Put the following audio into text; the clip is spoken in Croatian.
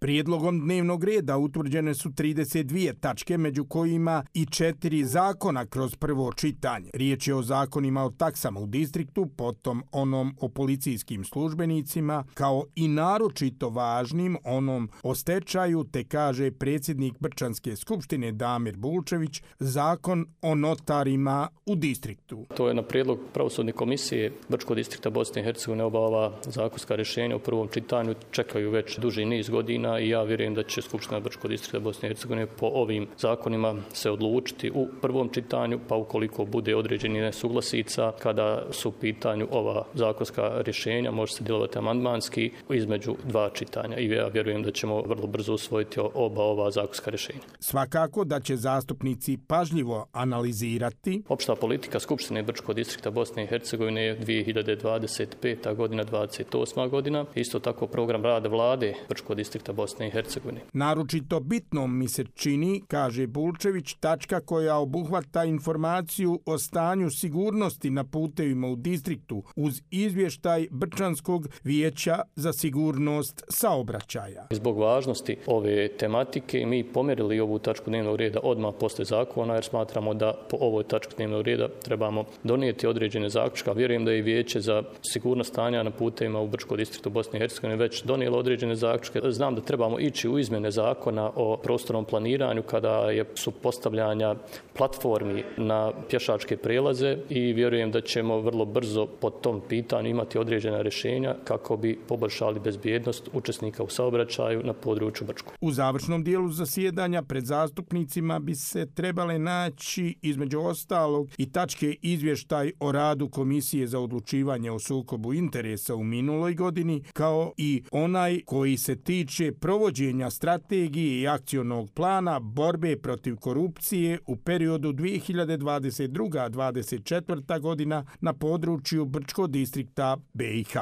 Prijedlogom dnevnog reda utvrđene su 32 tačke, među kojima i 4 zakona kroz prvo čitanje. Riječ je o zakonima o taksama u distriktu, potom onom o policijskim službenicima, kao i naročito važnim onom o stečaju, te kaže predsjednik Brčanske skupštine Damir Bulčević, zakon o notarima u distriktu. To je na prijedlog pravosudne komisije Brčkog distrikta Bosne i Hercegovine. Ova zakonska rješenja u prvom čitanju čekaju već duži niz godina i ja vjerujem da će Skupština Brčkog distrikta Bosne i Hercegovine po ovim zakonima se odlučiti u prvom čitanju, pa ukoliko bude određeni nesuglasica kada su u pitanju ova zakonska rješenja, može se djelovati amandmanski između dva čitanja i ja vjerujem da ćemo vrlo brzo usvojiti oba ova zakonska rješenja. Svakako da će zastupnici pažljivo analizirati. Opšta politika Skupštine Brčkog distrikta Bosne i Hercegovine je 2025. godina, 28. godina. Isto tako program rada vlade Brčkog distrikta Bosne i Hercegovine. Naročito bitnom mi se čini, kaže Bulčević, tačka koja obuhvata informaciju o stanju sigurnosti na putevima u distriktu uz izvještaj Brčanskog vijeća za sigurnost saobraćaja. Zbog važnosti ove tematike mi pomjerili ovu tačku dnevnog reda odmah posle zakona, jer smatramo da po ovoj tački dnevnog reda trebamo donijeti određene zaključke. Vjerujem da je vijeće za sigurnost stanja na putevima u Brčkom distriktu Bosne i Hercegovine već donijelo određene zaključke. Znam da trebamo ići u izmjene zakona o prostornom planiranju kada su postavljanja platformi na pješačke prelaze i vjerujem da ćemo vrlo brzo po tom pitanju imati određena rješenja kako bi poboljšali bezbjednost učesnika u saobraćaju na području Brčkog. U završnom dijelu zasjedanja pred zastupnicima bi se trebale naći između ostalog i tačke izvještaj o radu Komisije za odlučivanje o sukobu interesa u minuloj godini, kao i onaj koji se tiče provođenja strategije i akcionog plana borbe protiv korupcije u periodu 2022-2024. godina na području Brčkog distrikta BiH.